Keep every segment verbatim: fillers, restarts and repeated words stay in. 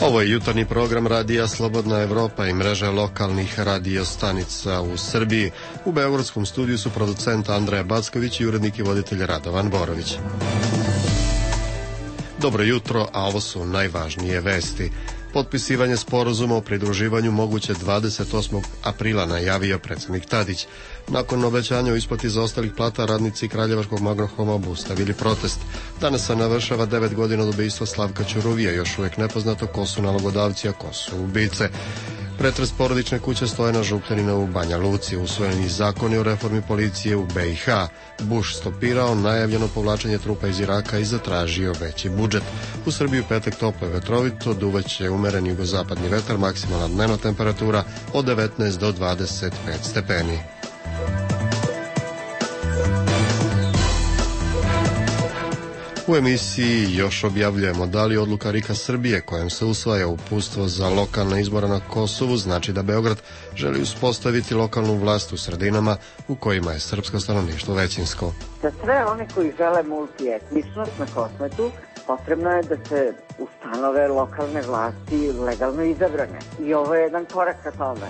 Ovo je jutarnji program Radija Slobodna Evropa i mreže lokalnih radio stanica u Srbiji. U beogradskom studiju su producent Andreja Backović i urednik i voditelj Radovan Borović. Dobro jutro, a ovo su najvažnije vesti. Potpisivanje sporazuma o pridruživanju moguće dvadeset osmog aprila najavio predsjednik Tadić. Nakon obećanja o isplati zaostalih plata, radnici Kraljevačkog Magnohroma obustavili protest. Danas se navršava devet godina od ubistva Slavka Ćuruvija, još uvijek nepoznato ko su nalogodavci, a ko su ubice. Pretres porodične kuće Stojana Žukljanina u Banja Luci, usvojeni zakoni o reformi policije u be i ha. Bush stopirao najavljeno povlačenje trupa iz Iraka i zatražio veći budžet. U Srbiji u petak toplo i vetrovito, duvaće umeren jugozapadni vetar, maksimalna dnevna temperatura od devetnaest do dvadeset pet stepeni. U emisiji još objavljujemo da li odluka RIK-a Srbije kojom se usvaja uputstvo za lokalne izbore na Kosovu znači da Beograd želi uspostaviti lokalnu vlast u sredinama u kojima je srpsko stanovništvo većinsko. Za sve one koji žele multietničnost na Kosmetu potrebno je da se ustanove lokalne vlasti legalno izabrane. I ovo je jedan korak ka tome.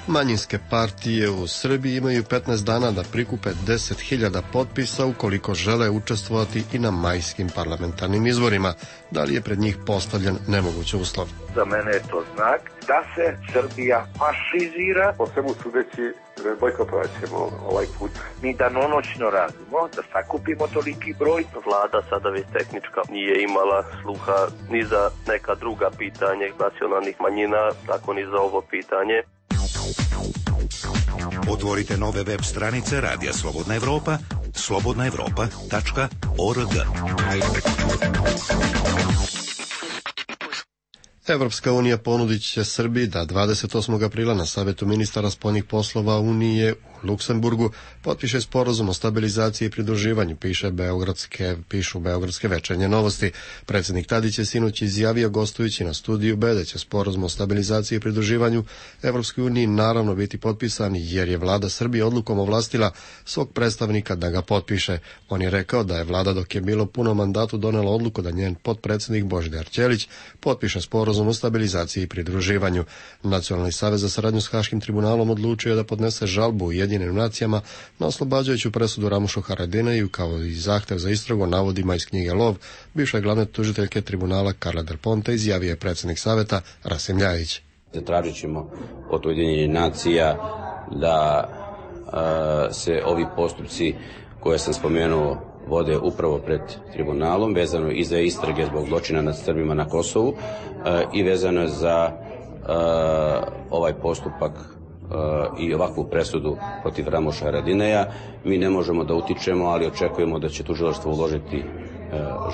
Manjinske partije u Srbiji imaju petnaest dana da prikupe deset hiljada potpisa ukoliko žele učestvovati i na majskim parlamentarnim izborima. Da li je pred njih postavljen nemoguć uslov? Za mene je to znak da se Srbija fašizira. Po svemu sudeći bojkotovat ćemo ovaj put. Mi danonoćno radimo da sakupimo toliki broj. Vlada sada već tehnička nije imala sluha ni za neka druga pitanja nacionalnih manjina, tako ni za ovo pitanje. Otvorite nove web stranice Radija Slobodna Evropa, slobodna evropa tačka org. Evropska unija ponudit će Srbiji da dvadeset osmog aprila na Savetu ministara spoljnih poslova Unije u Luksemburgu potpiše sporazum o stabilizaciji i pridruživanju, piše beogradske, pišu beogradske večernje novosti. Predsjednik Tadić je sinoć izjavio gostujući na studiju B da će sporazum o stabilizaciji i pridruživanju Evropskoj uniji naravno biti potpisan jer je vlada Srbije odlukom ovlastila svog predstavnika da ga potpiše. On je rekao da je vlada dok je bilo puno mandatu donela odluku da njen potpredsjednik Božidar Ćelić potpiše sporazum o stabilizaciji i pridruživanju. Nacionalni savez za saradnju s Haškim tribunalom odlučio je da podnese žalbu Ujedinjenim nacijama na oslobađajuću presudu Ramušu Haradinaju kao i zahtev za istragu o navodima iz knjige Lov bivše glavne tužiteljke tribunala Karla Del Ponte, izjavio je predsjednik saveta Rasim Ljajić. Zatražit ćemo od Ujedinjenih nacija da a, se ovi postupci koje sam spomenuo vode upravo pred tribunalom, vezano i za istrage zbog zločina nad Srbima na Kosovu e, i vezano za e, ovaj postupak e, i ovakvu presudu protiv Ramuša Haradineja. Mi ne možemo da utičemo, ali očekujemo da će tužilaštvo uložiti e,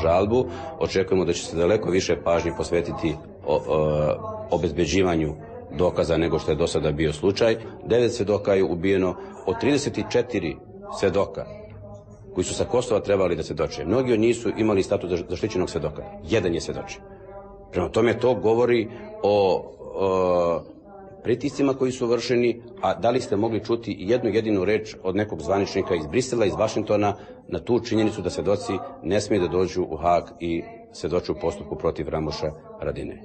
žalbu. Očekujemo da će se daleko više pažnje posvetiti o, o, obezbeđivanju dokaza nego što je do sada bio slučaj. Devet svedoka je ubijeno od trideset četiri svedoka koji su sa Kosova trebali da svedoče. Mnogi od njih su imali status zaštićenog svedoka. Jedan je svedočio. Prema tome to govori o, o pritiscima koji su vršeni, a da li ste mogli čuti jednu jedinu reč od nekog zvaničnika iz Brisela, iz Vašingtona, na tu činjenicu da svedoci ne smiju da dođu u Hag i svedoče u postupku protiv Ramuša Haradinaja.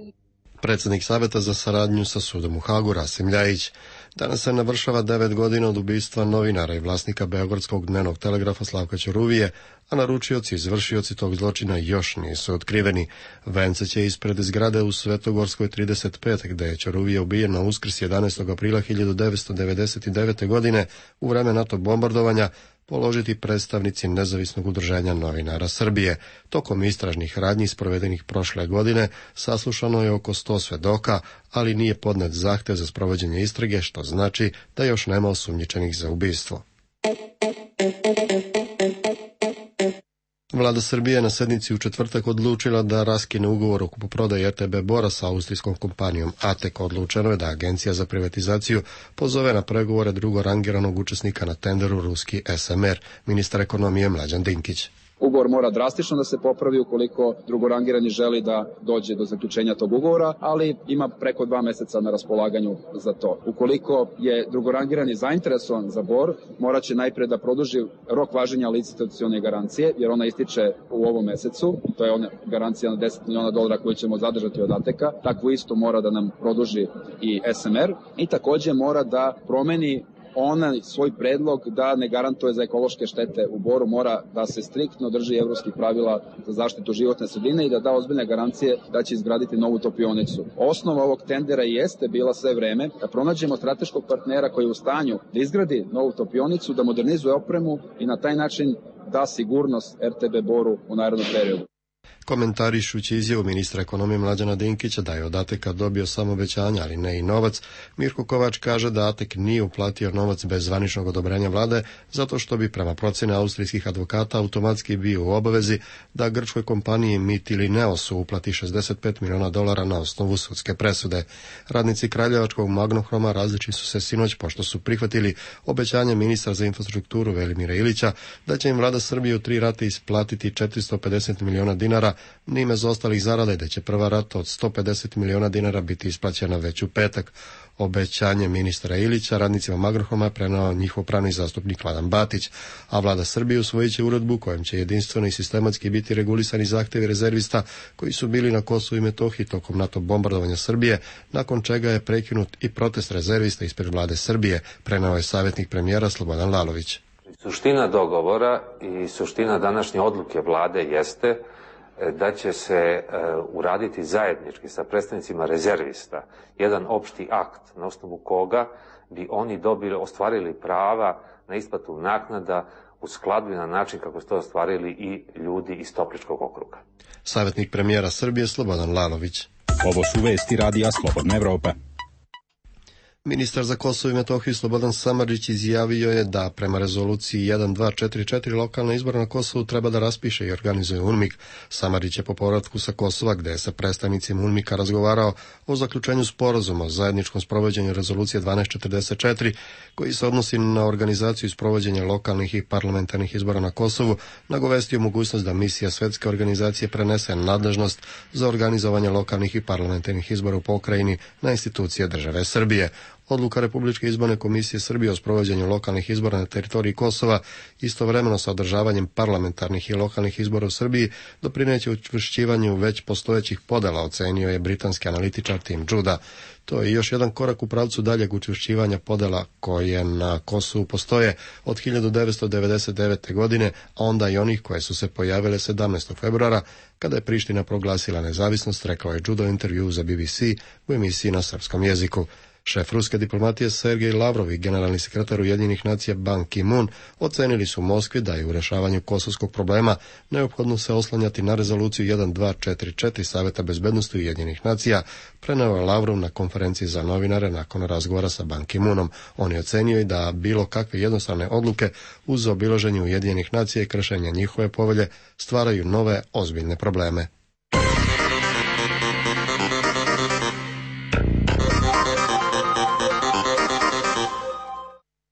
Predsjednik Saveta za saradnju sa sudom u Hagu Rasim Ljajić. Danas se navršava devet godina od ubistva novinara i vlasnika Beogradskog dnevnog telegrafa Slavka Ćuruvije, a naručioci i izvršioci tog zločina još nisu otkriveni. Vence će ispred zgrade u Svetogorskoj trideset pet, gde je Ćuruvije ubijen na Uskrs jedanaestog aprila hiljadu devetsto devedeset devete. godine u vreme NATO bombardovanja položiti predstavnici Nezavisnog udruženja novinara Srbije. Tokom istražnih radnji sprovedenih prošle godine saslušano je oko sto svedoka, ali nije podnet zahtev za sprovođenje istrage, što znači da još nema osumnjičenih za ubistvo. Vlada Srbije na sednici u četvrtak odlučila da raskine ugovor o kupoprodaji er te be Bora sa austrijskom kompanijom A T E K. Odlučeno je da Agencija za privatizaciju pozove na pregovore drugorangiranog učesnika na tenderu ruski es em er, ministar ekonomije Mlađan Dinkić. Ugovor mora drastično da se popravi ukoliko drugorangirani želi da dođe do zaključenja tog ugovora, ali ima preko dva meseca na raspolaganju za to. Ukoliko je drugorangirani zainteresovan za Bor, morat će najpre da produži rok važenja licitacione garancije, jer ona ističe u ovom mesecu. To je ona garancija na deset miliona dolara koju ćemo zadržati od Ateka. Takvu isto mora da nam produži i S M R i takođe mora da promeni onaj svoj predlog da ne garantuje za ekološke štete u Boru, mora da se striktno drži evropskih pravila za zaštitu životne sredine i da da ozbiljne garancije da će izgraditi novu topionicu. Osnova ovog tendera jeste bila sve vreme da pronađemo strateškog partnera koji je u stanju da izgradi novu topionicu, da modernizuje opremu i na taj način da sigurnost R T B Boru u narednom periodu. Komentarišući izjavu ministra ekonomije Mlađana Dinkića da je od Ateka dobio samo obećanja, ali ne i novac, Mirko Kovač kaže da Atek nije uplatio novac bez zvaničnog odobrenja vlade, zato što bi prema procjeni austrijskih advokata automatski bio u obavezi da grčkoj kompaniji MIT ili Neosu uplati šezdeset pet miliona dolara na osnovu sudske presude. Radnici Kraljevačkog Magnohroma različili su se sinoć pošto su prihvatili obećanje ministra za infrastrukturu Velimira Ilića da će im vlada Srbije u tri rate isplatiti četiristo pedeset miliona dinara, njime za ostalih zarade, da će prva rata od sto pedeset miliona dinara biti isplaćena već u petak. Obećanje ministra Ilića radnicima Magnohroma prenao njihov pravni zastupnik Vladan Batić, a vlada Srbije usvojit će uredbu kojom će jedinstveno i sistematski biti regulisani zahtevi rezervista koji su bili na Kosovu i Metohiji tokom NATO bombardovanja Srbije, nakon čega je prekinut i protest rezervista ispred vlade Srbije, prenao je savjetnik premijera Slobodan Lalović. Suština dogovora i suština današnje odluke vlade jeste da će se uh, uraditi zajednički sa predstavnicima rezervista jedan opšti akt na osnovu koga bi oni dobili, ostvarili prava na isplatu naknada u skladu i na način kako su to ostvarili i ljudi iz Topličkog okruga. Savjetnik premijera Srbije Slobodan Lalović. Ovo su vesti radija Slobodna Evropa. Ministar za Kosovo i Metohiju Slobodan Samardžić izjavio je da prema rezoluciji jedan dva četiri četiri lokalna izbora na Kosovu treba da raspiše i organizuje UNMIK. Samardžić je po povratku sa Kosova, gde je sa predstavnicima UNMIK-a razgovarao o zaključenju sporazuma o zajedničkom sprovođenju rezolucije dvanaest četrdeset četiri, koji se odnosi na organizaciju i sprovođenje lokalnih i parlamentarnih izbora na Kosovu, nagovestio mogućnost da misija Svetske organizacije prenese nadležnost za organizovanje lokalnih i parlamentarnih izbora u pokrajini na institucije države Srbije. Odluka Republičke izborne komisije Srbije o sprovođenju lokalnih izbora na teritoriji Kosova istovremeno sa održavanjem parlamentarnih i lokalnih izbora u Srbiji doprineće učvršćivanju već postojećih podela, ocenio je britanski analitičar Tim Juda. To je još jedan korak u pravcu daljeg učvršćivanja podela koje na Kosovu postoje od hiljadu devetsto devedeset devete. godine, a onda i onih koje su se pojavile sedamnaestog februara, kada je Priština proglasila nezavisnost, rekao je Judo u intervju za B B C u emisiji na srpskom jeziku. Šef ruske diplomatije Sergej Lavrov i generalni sekretar Ujedinjenih nacija Ban Ki-moon ocenili su u Moskvi da je u rešavanju kosovskog problema neophodno se oslanjati na rezoluciju jedan dva četiri četiri Saveta bezbednosti Ujedinjenih nacija, preneo je Lavrov na konferenciji za novinare nakon razgovora sa Ban Ki-moonom. On je ocenio i da bilo kakve jednostavne odluke uz obilaženje Ujedinjenih nacija i kršenja njihove povelje stvaraju nove ozbiljne probleme.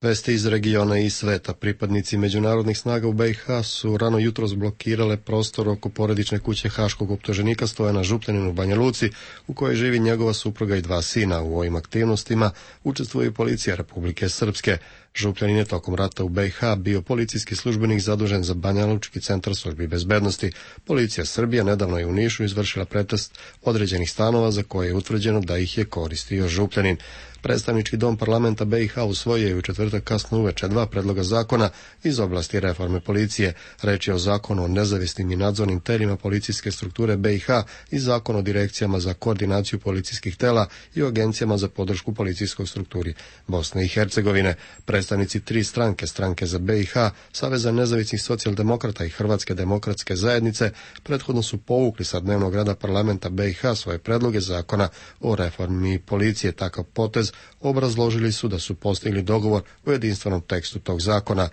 Vesti iz regiona i sveta. Pripadnici međunarodnih snaga u B i H su rano jutros blokirale prostor oko porodične kuće haškog optuženika Stojana Župljanina u Banja Luci, u kojoj živi njegova supruga i dva sina. U ovim aktivnostima učestvuje i policija Republike Srpske. Župljanin je tokom rata u B i H bio policijski službenik zadužen za Banjalučki centar službi bezbednosti. Policija Srbije nedavno je u Nišu izvršila pretest određenih stanova za koje je utvrđeno da ih je koristio Župljanin. Predstavnički dom parlamenta B i H usvojio je u četvrtak kasno uveče dva predloga zakona iz oblasti reforme policije. Reč je o zakonu o nezavisnim i nadzornim telima policijske strukture B i H i zakon o direkcijama za koordinaciju policijskih tela i o agencijama za podršku policijskoj strukturi Bosne i Hercegovine. Predstavnici tri stranke, stranke za B i H, Saveza nezavisnih socijaldemokrata i Hrvatske demokratske zajednice, prethodno su povukli sa dnevnog reda parlamenta B i H svoje predloge zakona o reformi policije. Takav potez obrazložili su da su postigli dogovor o jedinstvenom tekstu tog zakona.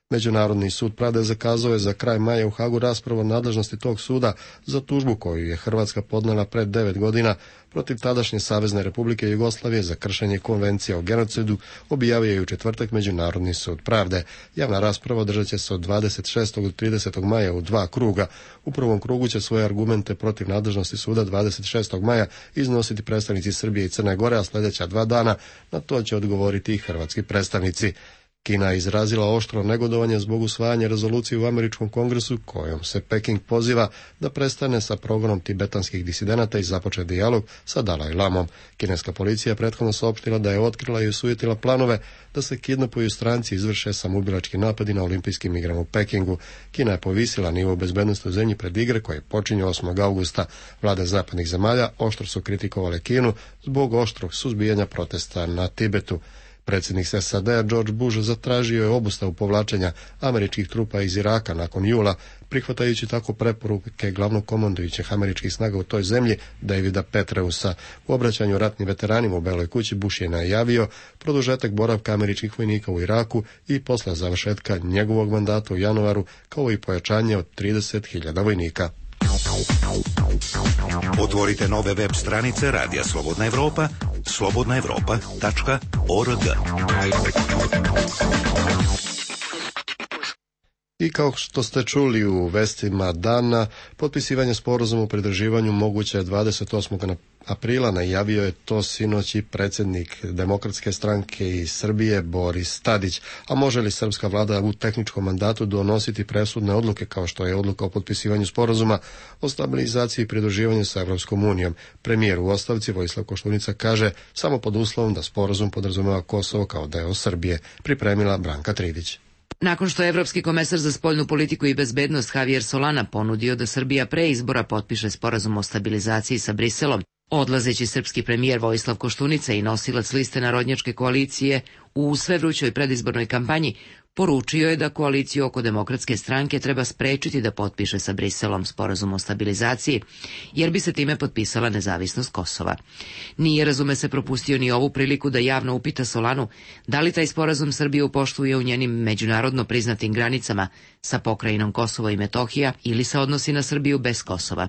Međunarodni sud pravde zakazao je za kraj maja u Hagu raspravu o nadležnosti tog suda za tužbu koju je Hrvatska podnela pred devet godina protiv tadašnje Savezne Republike Jugoslavije za kršenje konvencija o genocidu, objavio je u četvrtak Međunarodni sud pravde. Javna rasprava održat će se od dvadeset šestog do tridesetog maja u dva kruga. U prvom krugu će svoje argumente protiv nadležnosti suda dvadeset šestog maja iznositi predstavnici Srbije i Crne Gore, a sljedeća dva dana na to će odgovoriti i hrvatski predstavnici. Kina je izrazila oštro negodovanje zbog usvajanja rezolucije u Američkom kongresu kojom se Peking poziva da prestane sa progonom tibetanskih disidenata i započne dijalog sa Dalaj Lamom. Kineska policija prethodno saopštila da je otkrila i osujetila planove da se kidnapuju stranci i izvrše samoubilački napadi na olimpijskim igrama u Pekingu. Kina je povisila nivo bezbednosti u zemlji pred igre koje počinju osmog augusta. Vlade zapadnih zemalja oštro su kritikovale Kinu zbog oštrog suzbijanja protesta na Tibetu. Predsjednik S A D-a George Bush zatražio je obustavu povlačenja američkih trupa iz Iraka nakon jula, prihvatajući tako preporuke glavnog komandujućeg američkih snaga u toj zemlji Davida Petreusa. U obraćanju ratnim veteranima u Beloj kući Bush je najavio produžetak boravka američkih vojnika u Iraku i posle završetka njegovog mandata u januaru, kao i pojačanje od trideset hiljada vojnika. Otvorite nove web stranice Radija Slobodna Evropa, slobodna evropa tačka org. I kao što ste čuli u vestima dana, potpisivanje sporazuma o pridruživanju moguće je dvadeset osmog aprila, najavio je to sinoć i predsjednik Demokratske stranke iz Srbije Boris Tadić. A može li srpska vlada u tehničkom mandatu donositi presudne odluke kao što je odluka o potpisivanju sporazuma o stabilizaciji i pridruživanju sa Evropskom unijom? Premijer u ostavci Vojislav Koštunica kaže samo pod uslovom da sporazum podrazumeva Kosovo kao deo Srbije. Pripremila Branka Tridić. Nakon što je Evropski komesar za spoljnu politiku i bezbednost Javier Solana ponudio da Srbija pre izbora potpiše sporazum o stabilizaciji sa Briselom, odlazeći srpski premijer Vojislav Koštunica i nosilac liste Narodnjačke koalicije u sve vrućoj predizbornoj kampanji poručio je da koaliciju oko Demokratske stranke treba sprečiti da potpiše sa Briselom sporazum o stabilizaciji, jer bi se time potpisala nezavisnost Kosova. Nije, razume se, propustio ni ovu priliku da javno upita Solanu da li taj sporazum Srbiju poštuje u njenim međunarodno priznatim granicama sa pokrajinom Kosovo i Metohija ili se odnosi na Srbiju bez Kosova.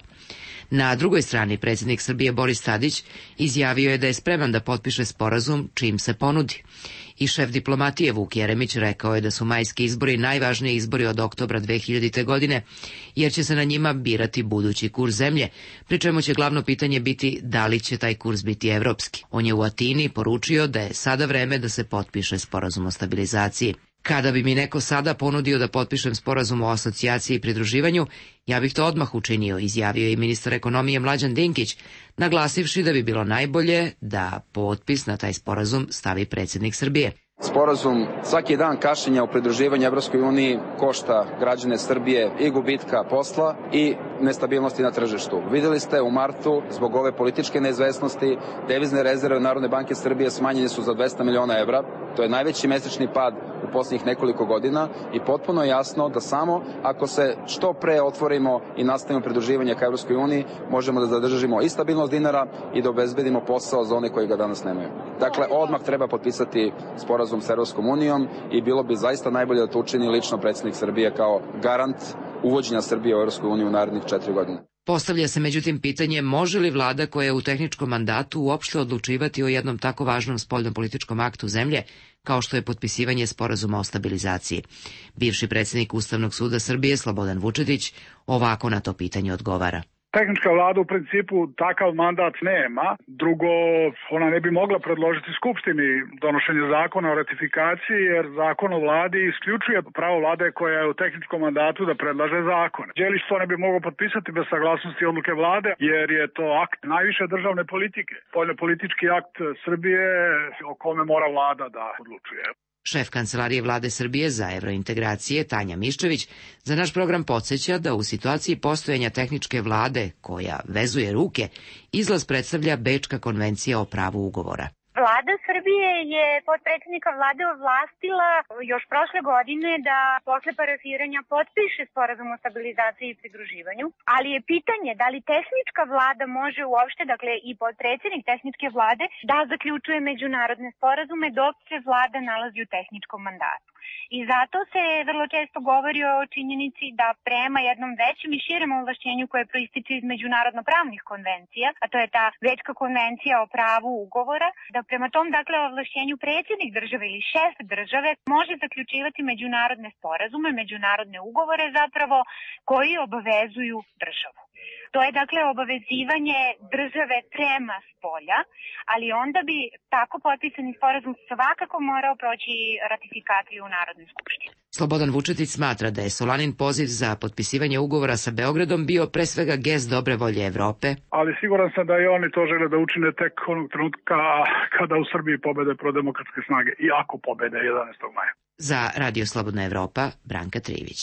Na drugoj strani predsjednik Srbije Boris Tadić izjavio je da je spreman da potpiše sporazum čim se ponudi. I šef diplomatije Vuk Jeremić rekao je da su majski izbori najvažniji izbori od oktobra dve hiljadite. godine, jer će se na njima birati budući kurs zemlje, pri čemu će glavno pitanje biti da li će taj kurs biti evropski. On je u Atini poručio da je sada vreme da se potpiše sporazum o stabilizaciji. Kada bi mi neko sada ponudio da potpišem sporazum o asocijaciji i pridruživanju, ja bih to odmah učinio, izjavio je i ministar ekonomije Mlađan Dinkić, naglasivši da bi bilo najbolje da potpis na taj sporazum stavi predsjednik Srbije. Sporazum svaki dan kašnjenja u pridruživanju Evropskoj uniji košta građane Srbije i gubitka posla i nestabilnosti na tržištu. Vidjeli ste u martu, zbog ove političke neizvesnosti, devizne rezerve Narodne banke Srbije smanjene su za dvesta miliona evra. To je najveći mesečni pad u posljednjih nekoliko godina i potpuno je jasno da samo ako se što pre otvorimo i nastavimo pridruživanje ka Evropskoj uniji, možemo da zadržimo i stabilnost dinara i da obezbedimo posao za one koji ga danas nemaju. Dakle, odmah treba potpisati sporazum sa Evropskom unijom i bilo bi zaista najbolje da to učini lično predsjednik Srbije kao garant uvođenja Srbije u Evropsku uniju u narednih četiri godine. Postavlja se međutim pitanje može li vlada koja je u tehničkom mandatu uopšte odlučivati o jednom tako važnom spoljnopolitičkom aktu zemlje kao što je potpisivanje sporazuma o stabilizaciji. Bivši predsjednik Ustavnog suda Srbije Slobodan Vučetić ovako na to pitanje odgovara. Tehnička vlada u principu takav mandat nema. Drugo, ona ne bi mogla predložiti Skupštini donošenje zakona o ratifikaciji, jer zakon o vladi isključuje pravo vlade koja je u tehničkom mandatu da predlaže zakone. Đelić to ne bi mogao potpisati bez saglasnosti odluke vlade, jer je to akt najviše državne politike. Spoljnopolitički akt Srbije o kome mora vlada da odlučuje. Šef Kancelarije vlade Srbije za evrointegracije Tanja Miščević za naš program podsjeća da u situaciji postojanja tehničke vlade koja vezuje ruke, izlaz predstavlja Bečka konvencija o pravu ugovora. Vlada Srbije je potpredsjednika vlade ovlastila još prošle godine da posle parafiranja potpiše sporazum o stabilizaciji i pridruživanju, ali je pitanje da li tehnička vlada može uopšte, dakle i potpredsjednik tehničke vlade, da zaključuje međunarodne sporazume dok se vlada nalazi u tehničkom mandatu. I zato se vrlo često govori o činjenici da prema jednom većem i širem ovlašćenju koje proističe iz međunarodno-pravnih konvencija, a to je ta Bečka konvencija o pravu ugovora, da prema tom dakle ovlašćenju predsjednik države ili šef države može zaključivati međunarodne sporazume, međunarodne ugovore zapravo koji obavezuju državu. To je dakle obavezivanje države prema spolja, ali onda bi tako potpisani sporazum svakako morao proći ratifikaciju u Narodnoj skupštini. Slobodan Vučetić smatra da je Solanin poziv za potpisivanje ugovora sa Beogradom bio pre svega gest dobre volje Evrope. Ali siguran sam da i oni to žele da učine tek onog trenutka kada u Srbiji pobede prodemokratske snage i ako pobede jedanaestog maja. Za Radio Slobodna Evropa, Branka Trivić.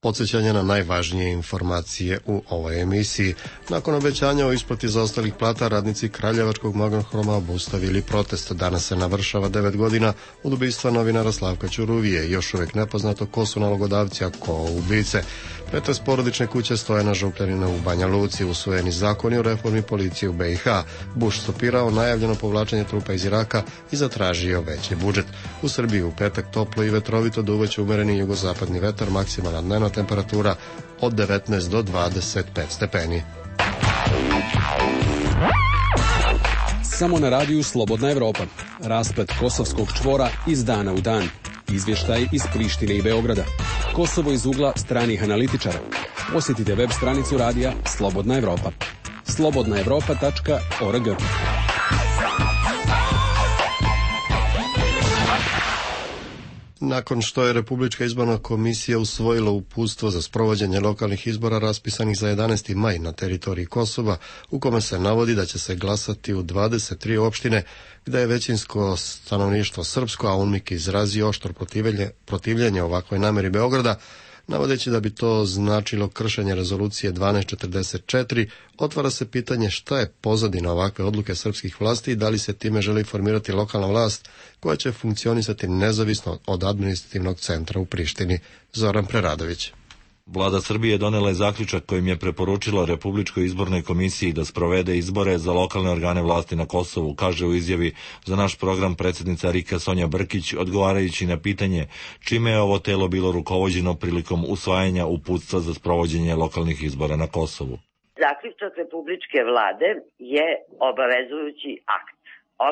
Podsjećanje na najvažnije informacije u ovoj emisiji. Nakon obećanja o isplati zaostalih plata, radnici Kraljevačkog Magnohroma obustavili protest. Danas se navršava devet godina od ubistva novinara Slavka Ćuruvije. Još uvijek nepoznato ko su nalogodavci, a ko ubice. Pretres porodične kuće Stojana Župljanina u Banja Luci, usvojeni zakoni o reformi policije u B i H. Bush stopirao najavljeno povlačenje trupa iz Iraka i zatražio veći budžet. U Srbiji u petak toplo i vetrovito duvaće umereni jugozapadni vetar, maksimalna dnevna temperatura od devetnaest do dvadeset pet stepeni. Samo na radiju Slobodna Evropa. Rasplet kosovskog čvora iz dana u dan. Izvještaj iz Prištine i Beograda. Kosovo iz ugla stranih analitičara. Posjetite web stranicu radija Slobodna Evropa. slobodna evropa tačka org. Nakon što je Republička izborna komisija usvojila uputstvo za sprovođenje lokalnih izbora raspisanih za jedanaesti maj na teritoriji Kosova, u kome se navodi da će se glasati u dvadeset tri opštine gde je većinsko stanovništvo srpsko, a UNMIK izrazio oštro protivljenje, protivljenje ovakvoj nameri Beograda, navodeći da bi to značilo kršenje rezolucije dvanaest četrdeset četiri, otvara se pitanje šta je pozadina ovakve odluke srpskih vlasti i da li se time želi formirati lokalna vlast koja će funkcionisati nezavisno od administrativnog centra u Prištini. Zoran Preradović. Vlada Srbije donela je zaključak kojim je preporučila Republičkoj izbornoj komisiji da sprovede izbore za lokalne organe vlasti na Kosovu, kaže u izjavi za naš program predsjednica RIK-a Sonja Brkić, odgovarajući na pitanje čime je ovo telo bilo rukovođeno prilikom usvajanja uputstva za sprovođenje lokalnih izbora na Kosovu. Zaključak Republičke vlade je obavezujući akt.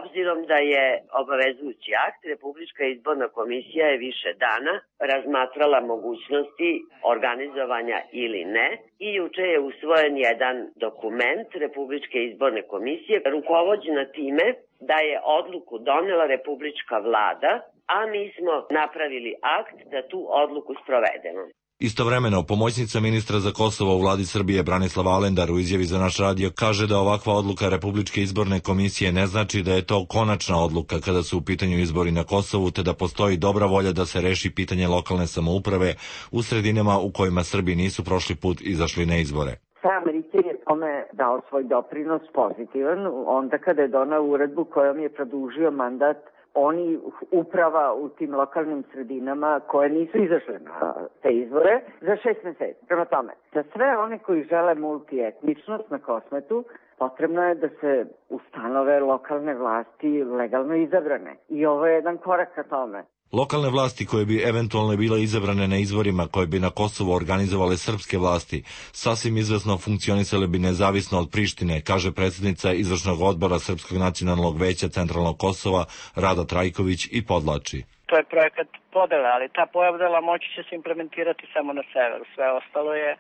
Obzirom da je obavezujući akt, Republička izborna komisija je više dana razmatrala mogućnosti organizovanja ili ne i juče je usvojen jedan dokument Republičke izborne komisije rukovođena time da je odluku donela Republička vlada, a mi smo napravili akt da tu odluku sprovedemo. Istovremeno, pomoćnica ministra za Kosovo u vladi Srbije Branislava Alendar u izjavi za naš radio kaže da ovakva odluka Republičke izborne komisije ne znači da je to konačna odluka kada su u pitanju izbori na Kosovu, te da postoji dobra volja da se reši pitanje lokalne samouprave u sredinama u kojima Srbi nisu prošli put izašli na izbore. Sam Riker je tome dao svoj doprinos pozitivan onda kada je donao uredbu kojom je produžio mandat oni uprava u tim lokalnim sredinama koje nisu izašle na te izbore za šest meseci. Prema tome, za sve one koji žele multietničnost na Kosmetu, potrebno je da se ustanove lokalne vlasti legalno izabrane. I ovo je jedan korak ka tome. Lokalne vlasti koje bi eventualno bile izabrane na izborima koje bi na Kosovu organizovale srpske vlasti, sasvim izvesno funkcionisale bi nezavisno od Prištine, kaže predsjednica izvršnog odbora Srpskog nacionalnog veća Centralnog Kosova Rada Trajković i podlači. To je projekat podele, ali ta podela moći će se implementirati samo na severu. Sve ostalo je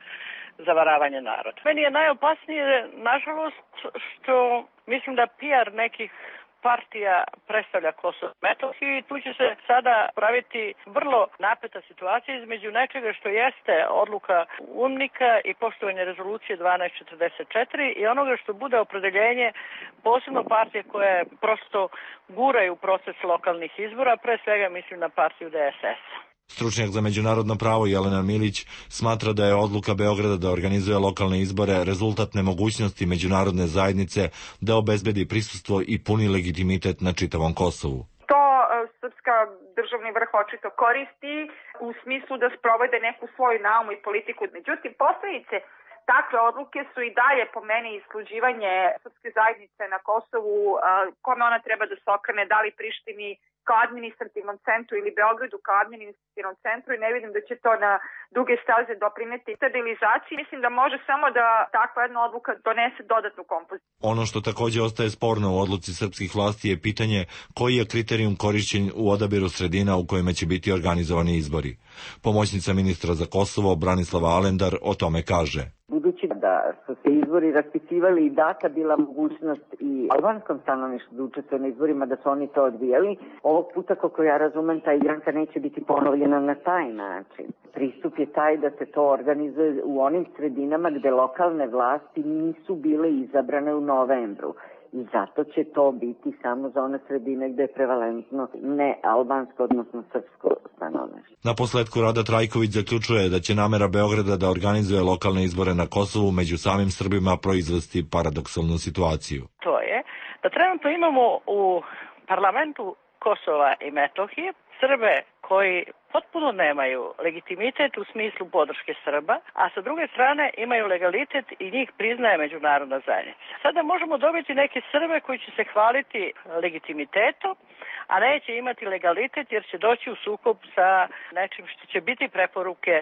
zavaravanje naroda. Meni je najopasnije, nažalost, što mislim da P R nekih partija predstavlja Kosovo i Metohiju i tu će se sada praviti vrlo napeta situacija između nečega što jeste odluka UNMIK-a i poštovanje rezolucije dvanaest četrdeset četiri i onoga što bude opredeljenje posebno partije koje prosto guraju proces lokalnih izbora, pre svega mislim na partiju D S S. Stručnjak za međunarodno pravo Jelena Milić smatra da je odluka Beograda da organizuje lokalne izbore rezultat nemogućnosti međunarodne zajednice da obezbedi prisustvo i puni legitimitet na čitavom Kosovu. To srpska državni vrh očito koristi u smislu da sprovode neku svoju naumu i politiku. Međutim, posledice takve odluke su i dalje po meni isluđivanje srpske zajednice na Kosovu, kome ona treba da se okrene, da li Prištini kao administrativnom centru ili Beogradu kao administrativnom centru, i ne vidim da će to na duge staze doprineti stabilizaciji. Mislim da može samo da takva jedna odluka donese dodatnu kompoziciju. Ono što takođe ostaje sporno u odluci srpskih vlasti je pitanje koji je kriterijum korišćen u odabiru sredina u kojima će biti organizovani izbori. Pomoćnica ministra za Kosovo Branislava Alendar o tome kaže. Budući da su se izbori raspisivali i data bila mogućnost i albanskom stanovništvu da učestvuje na izborima, da su oni to odbijali, ovog puta, kako ja razumem, ta igranka neće biti ponovljena na taj način. Pristup je taj da se to organizuje u onim sredinama gde lokalne vlasti nisu bile izabrane u novembru. I zato će to biti samo za one sredine gde je prevalentno ne albansko, odnosno srpsko stanovništvo. Na posledku Rada Trajković zaključuje da će namera Beograda da organizuje lokalne izbore na Kosovu među samim Srbima proizvesti paradoksalnu situaciju. To je da trenutno imamo u parlamentu Kosova i Metohije Srbe koji potpuno nemaju legitimitet u smislu podrške Srba, a sa druge strane imaju legalitet i njih priznaje međunarodna zajednica. Sada možemo dobiti neke Srbe koji će se hvaliti legitimitetom, a neće imati legalitet jer će doći u sukob sa nečim što će biti preporuke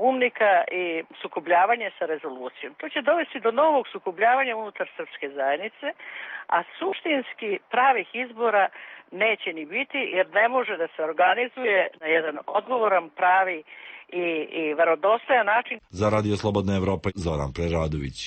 umnika i sukobljavanje sa rezolucijom. To će dovesti do novog sukobljavanja unutar srpske zajednice, a suštinski pravih izbora neće ni biti jer ne može da se organizuje na jedan odgovoran, pravi i, i verodostojan način. Za Radio Slobodna Evropa, Zoran Preradović.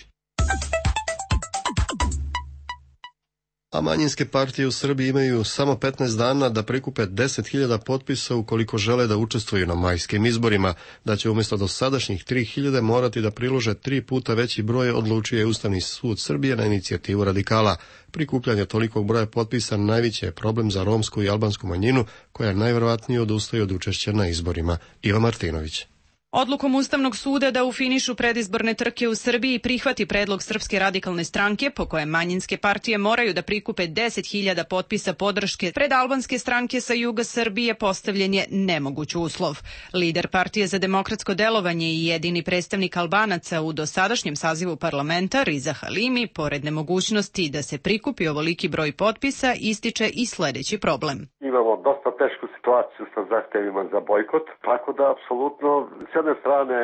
A manjinske partije u Srbiji imaju samo petnaest dana da prikupe deset hiljada potpisa ukoliko žele da učestvuju na majskim izborima, da će umjesto dosadašnjih tri hiljade morati da prilože tri puta veći broj, odlučio je Ustavni sud Srbije na inicijativu radikala. Prikupljanje tolikog broja potpisa najveći je problem za romsku i albansku manjinu, koja najverovatnije odustaje od učešća na izborima. Iva Martinović. Odlukom Ustavnog suda da u finišu predizborne trke u Srbiji prihvati predlog Srpske radikalne stranke po kojem manjinske partije moraju da prikupe deset hiljada potpisa podrške pred albanske stranke sa juga Srbije postavljen je nemoguć uslov. Lider Partije za demokratsko delovanje i jedini predstavnik Albanaca u dosadašnjem sazivu parlamenta Riza Halimi, pored nemogućnosti da se prikupi ovoliki broj potpisa, ističe i sledeći problem. Imamo dosta tešku situaciju sa zahtevima za bojkot, tako da apsolutno s jedne strane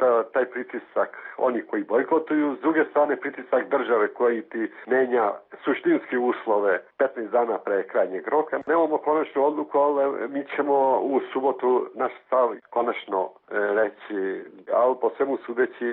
ta, taj pritisak oni koji bojkotuju, s druge strane pritisak države koji ti menja suštinski uslove petnaest dana pre krajnjeg roka. Nemamo konačnu odluku, ali mi ćemo u subotu naš stav konačno reći, ali po svemu sudeći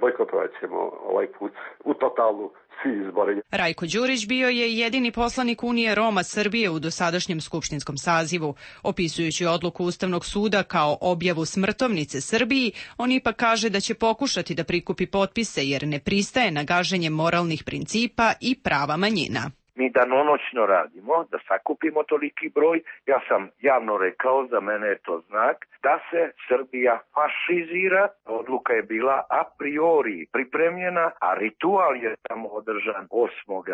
bojkotovat ćemo ovaj put u totalu svi izbori. Rajko Đurić bio je jedini poslanik Unije Roma Srbije u dosadašnjem skupštinskom sazivu. Opisujući odluku Ustavnog suda kao objavu smrtovnice Srbiji, on ipak kaže da će pokušati da prikupi potpise jer ne pristaje na gaženje moralnih principa i prava manjina. Mi danonoćno radimo da sakupimo toliki broj. Ja sam javno rekao, za mene je to znak da se Srbija fašizira. Odluka je bila a priori pripremljena, a ritual je tamo održan osmog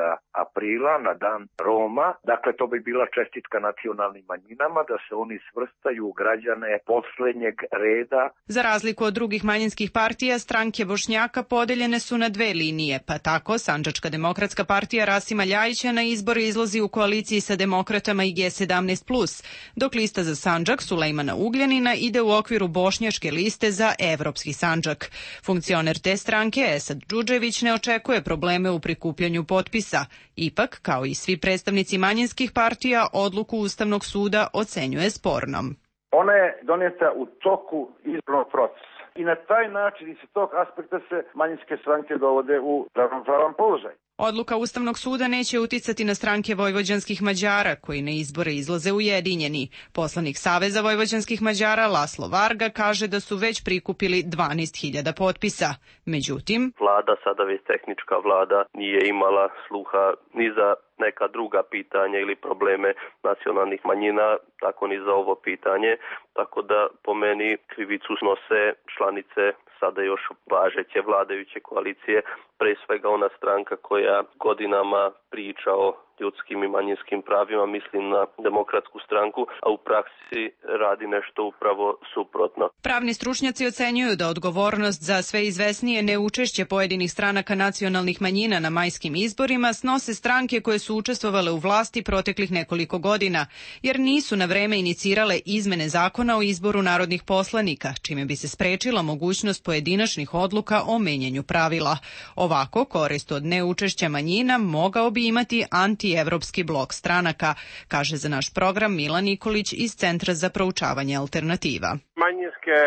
aprila na dan Roma. Dakle, to bi bila čestitka nacionalnim manjinama da se oni svrstaju u građane poslednjeg reda. Za razliku od drugih manjinskih partija, stranke Bošnjaka podeljene su na dve linije, pa tako Sandžačka demokratska partija Rasima Ljajića na izbore izlazi u koaliciji sa demokratama i G sedamnaest plus, dok lista za Sandžak Sulejmana Ugljanina ide u okviru bošnjačke liste za Evropski Sandžak. Funkcioner te stranke Esad Džudžević ne očekuje probleme u prikupljanju potpisa. Ipak, kao i svi predstavnici manjinskih partija, odluku Ustavnog suda ocenjuje spornom. Ona je doneta u toku izbornog procesa i na taj način i sa tog aspekta se manjinske stranke dovode u ravnopravan položaj. Odluka Ustavnog suda neće uticati na stranke vojvođanskih Mađara, koji na izbore izlaze ujedinjeni. Poslanik Saveza vojvođanskih Mađara Laslo Varga kaže da su već prikupili dvanaest hiljada potpisa. Međutim, vlada, sada već tehnička vlada, nije imala sluha ni za neka druga pitanja ili probleme nacionalnih manjina, tako ni za ovo pitanje. Tako da po meni krivicu snose članice sada još važeće vladajuće koalicije, pre svega ona stranka koja godinama priča o ljudskim i manjinskim pravima, mislim na Demokratsku stranku, a u praksi radi nešto upravo suprotno. Pravni stručnjaci ocenjuju da odgovornost za sve izvesnije neučešće pojedinih stranaka nacionalnih manjina na majskim izborima snose stranke koje su učestvovale u vlasti proteklih nekoliko godina, jer nisu na vreme inicirale izmene zakona o izboru narodnih poslanika, čime bi se sprečila mogućnost pojedinačnih odluka o menjanju pravila. Ovako, korist od neučešća manjina mogao bi imati antievropski blok stranaka, kaže za naš program Milan Nikolić iz Centra za proučavanje alternativa. Manjinske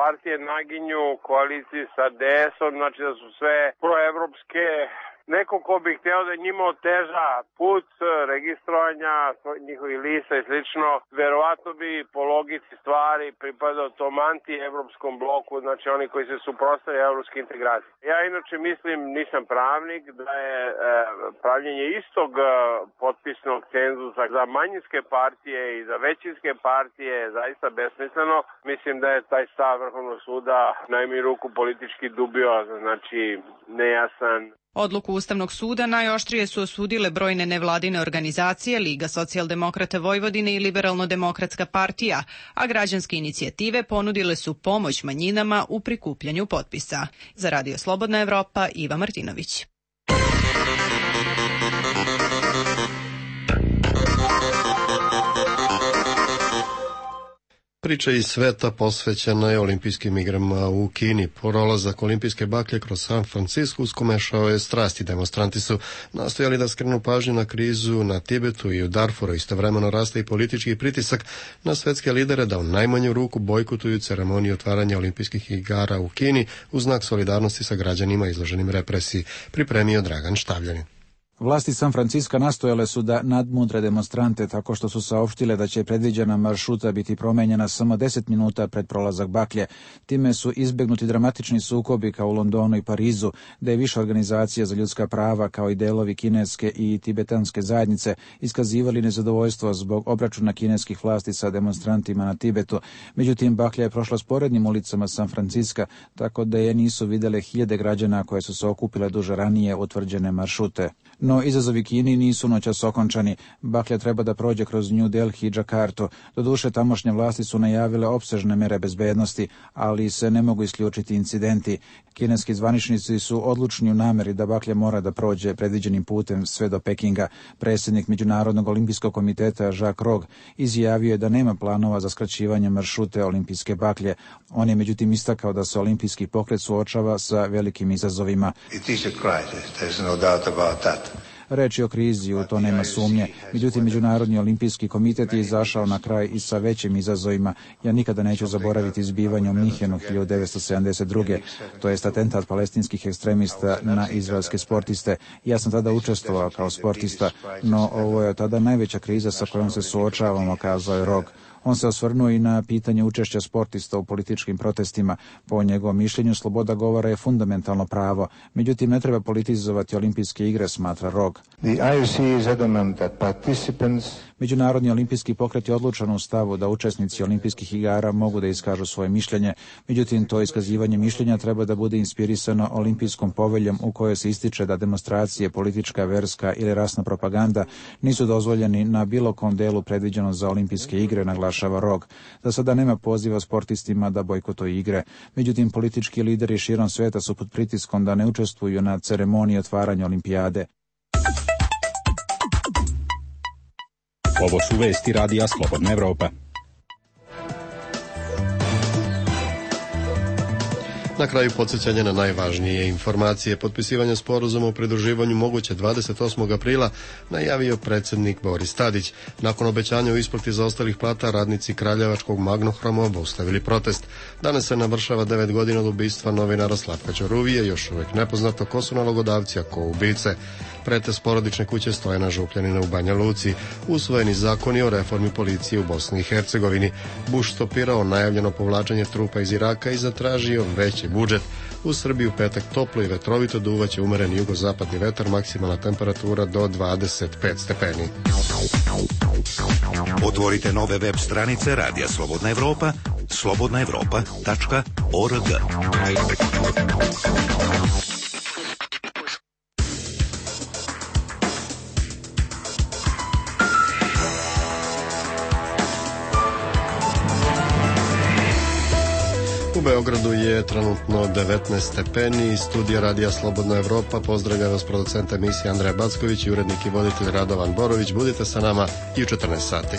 partije naginju koaliciji sa D S-om, znači da su sve proevropske. Neko ko bi hteo da njima oteža put registrovanja njihovih lista i slično, verovatno bi po logici stvari pripadao tom anti-evropskom bloku, znači oni koji se suprotstavljaju evropske integracije. Ja inače mislim, nisam pravnik, da je e, pravljenje istog e, potpisnog cenzusa za manjinske partije i za većinske partije zaista besmisleno. Mislim da je taj stav Vrhovnog suda najmanju ruku politički dubio, znači nejasan. Odluku Ustavnog suda najoštrije su osudile brojne nevladine organizacije, Liga socijaldemokrata Vojvodine i Liberalno-demokratska partija, a građanske inicijative ponudile su pomoć manjinama u prikupljanju potpisa. Za Radio Slobodna Evropa, Iva Martinović. Priča iz sveta posvećena je olimpijskim igrama u Kini. Prolazak olimpijske baklje kroz San Francisco uskomešao je strasti. Demonstranti su nastojali da skrenu pažnju na krizu na Tibetu i u Darfuru. Istovremeno raste i politički pritisak na svetske lidere da u najmanju ruku bojkotuju ceremoniju otvaranja olimpijskih igara u Kini u znak solidarnosti sa građanima izloženim represiji. Pripremio Dragan Štavljanin. Vlasti San Franciska nastojale su da nadmudre demonstrante tako što su saopštile da će predviđena maršruta biti promenjena samo deset minuta pred prolazak baklje. Time su izbegnuti dramatični sukobi kao u Londonu i Parizu, da je više organizacija za ljudska prava kao i delovi kineske i tibetanske zajednice iskazivali nezadovoljstvo zbog obračuna kineskih vlasti sa demonstrantima na Tibetu. Međutim, baklja je prošla sporednim ulicama San Franciska, tako da je nisu videle hiljade građana koje su se okupile duže ranije utvrđene maršrute. No, izazovi Kini nisu noćas okončani. Baklja treba da prođe kroz New Delhi i Džakartu. Doduše, tamošnje vlasti su najavile opsežne mere bezbednosti, ali se ne mogu isključiti incidenti. Kineski zvaničnici su odlučni u nameri da baklja mora da prođe predviđenim putem sve do Pekinga. Predsjednik Međunarodnog olimpijskog komiteta Jacques Rogge izjavio je da nema planova za skraćivanje maršrute olimpijske baklje. On je međutim istakao da se olimpijski pokret suočava sa velikim izazovima. It is a crisis, there's no doubt about that. Reč je o krizi, u to nema sumnje. Međutim, Međunarodni olimpijski komitet je izašao na kraj i sa većim izazovima. Ja nikada neću zaboraviti zbivanje u Minhenu hiljadu devetsto sedamdeset druge. To jest atentat palestinskih ekstremista na izraelske sportiste. Ja sam tada učestvovao kao sportista, no ovo je tada najveća kriza sa kojom se suočavamo, kazao je Rogge. On se osvrnuo i na pitanje učešća sportista u političkim protestima. Po njegovom mišljenju, sloboda govora je fundamentalno pravo. Međutim, ne treba politizovati olimpijske igre, smatra Rogge. The I O C is adamant that participants Međunarodni olimpijski pokret je odlučan u stavu da učesnici olimpijskih igara mogu da iskažu svoje mišljenje. Međutim, to iskazivanje mišljenja treba da bude inspirisano olimpijskom poveljom u kojoj se ističe da demonstracije, politička, verska ili rasna propaganda nisu dozvoljeni na bilo kom delu predviđeno za olimpijske igre, naglašava Rogge. Za sada nema poziva sportistima da bojkotuju igre. Međutim, politički lideri širom sveta su pod pritiskom da ne učestvuju na ceremoniji otvaranja olimpijade. Ovo su vesti Radija Slobodna Evropa. Na kraju podsjećanja na najvažnije informacije. Potpisivanje sporazuma o pridruživanju moguće dvadeset osmog aprila najavio predsjednik Boris Tadić. Nakon obećanja o isplati zaostalih plata, radnici Kraljevačkog Magnohroma obustavili protest. Danas se navršava devet godina od ubistva novinara Slavka Ćoruvije, još uvijek nepoznato ko su nalogodavci, a ko ubice. Pretres porodične kuće Stojana Župljanina u Banja Luci. Usvojeni zakoni o reformi policije u Bosni i Hercegovini. Bush stopirao najavljeno povlačenje trupa iz Iraka i zatražio veći budžet. U Srbiji u petak toplo i vetrovito duvaće umeren jugozapadni vetar, maksimalna temperatura do dvadeset pet stepeni. Otvorite nove web stranice Radija Slobodna Evropa, slobodna evropa tačka org. U Beogradu je trenutno devetnaest stepeni. Studija Radija Slobodna Evropa pozdravlja vas producent emisije Andreja Backović i urednik i voditelj Radovan Borović. Budite sa nama i u četrnaest sati.